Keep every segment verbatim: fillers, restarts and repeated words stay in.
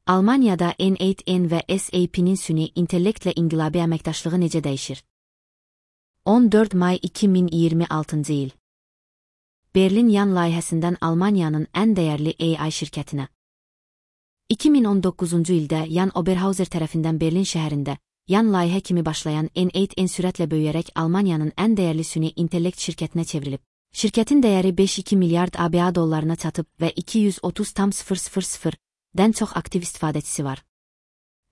Almaniyada N eight N və S A P'nin süni intellektlə inqilabi əməkdaşlığı necə dəyişir? on dörd may iki min iyirmi altıncı il. Berlin Yan layihəsindən Almaniyanın ən dəyərli A I şirkətinə. iki min on doqquzuncu ildə Jan Oberhauser tərəfindən Berlin şəhərində Yan layihə kimi başlayan N eight N sürətlə böyüyərək Almaniyanın ən dəyərli süni intellekt şirkətinə çevrilib. Şirkətin dəyəri beş nöqtə iki milyard A B A dollarına çatıb və iki yüz otuz min dən çox aktiv istifadəçisi var.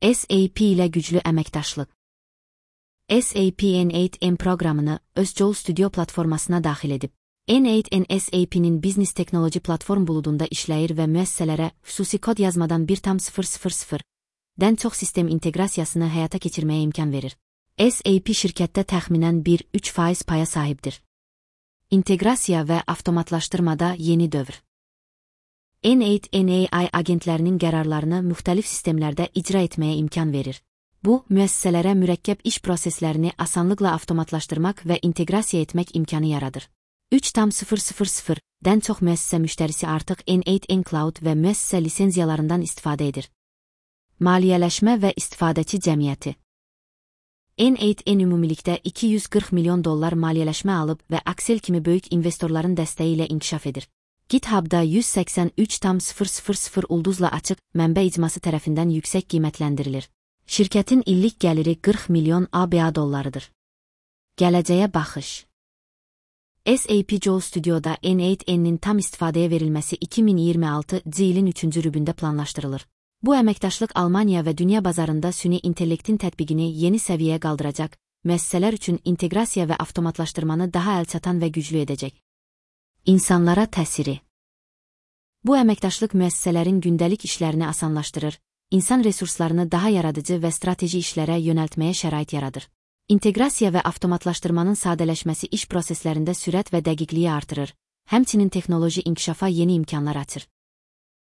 S A P ilə güclü əməkdaşlıq. S A P N eight N proqramını öz Joule Studio platformasına daxil edib. N eight N S A P'nin biznes texnoloji platform buludunda işləyir və müəssisələrə xüsusi kod yazmadan bir nöqtə sıfır dən çox sistem inteqrasiyasını həyata keçirməyə imkan verir. S A P şirkətdə təxminən bir nöqtə üç faiz paya sahibdir. İnteqrasiya və avtomatlaşdırmada yeni dövr. N eight N A I agentlərinin qərarlarını müxtəlif sistemlərdə icra etməyə imkan verir. Bu, müəssisələrə mürəkkəb iş proseslərini asanlıqla avtomatlaşdırmaq və inteqrasiya etmək imkanı yaradır. üç nöqtə sıfır dən çox müəssisə müştərisi artıq N eight N Cloud və müəssisə lisenziyalarından istifadə edir. Maliyyələşmə və istifadəçi cəmiyyəti. N eight N ümumilikdə iki yüz qırx milyon dollar maliyyələşmə alıb və Accel kimi böyük investorların dəstəyi ilə inkişaf edir. GitHub'da yüz səksən üç nöqtə sıfır sıfır ulduzla açıq mənbə icması tərəfindən yüksək qiymətləndirilir. Şirkətin illik gəliri qırx milyon A B A dollarıdır. Gələcəyə baxış. S A P Joule Studio'da N eight N'nin tam istifadəyə verilməsi iki min iyirmi altıncı ilin üçüncü rübündə planlaşdırılır. Bu əməkdaşlıq Almaniya və dünya bazarında süni intellektin tətbiqini yeni səviyyəyə qaldıracaq, müəssisələr üçün inteqrasiya və avtomatlaşdırmanı daha əlçatan və güclü edəcək. İnsanlara təsiri. Bu əməkdaşlıq müəssisələrin gündəlik işlərini asanlaşdırır, insan resurslarını daha yaradıcı və strateji işlərə yönəltməyə şərait yaradır. İnteqrasiya və avtomatlaşdırmanın sadələşməsi iş proseslərində sürət və dəqiqliyi artırır, həmçinin texnoloji inkişafa yeni imkanlar açır.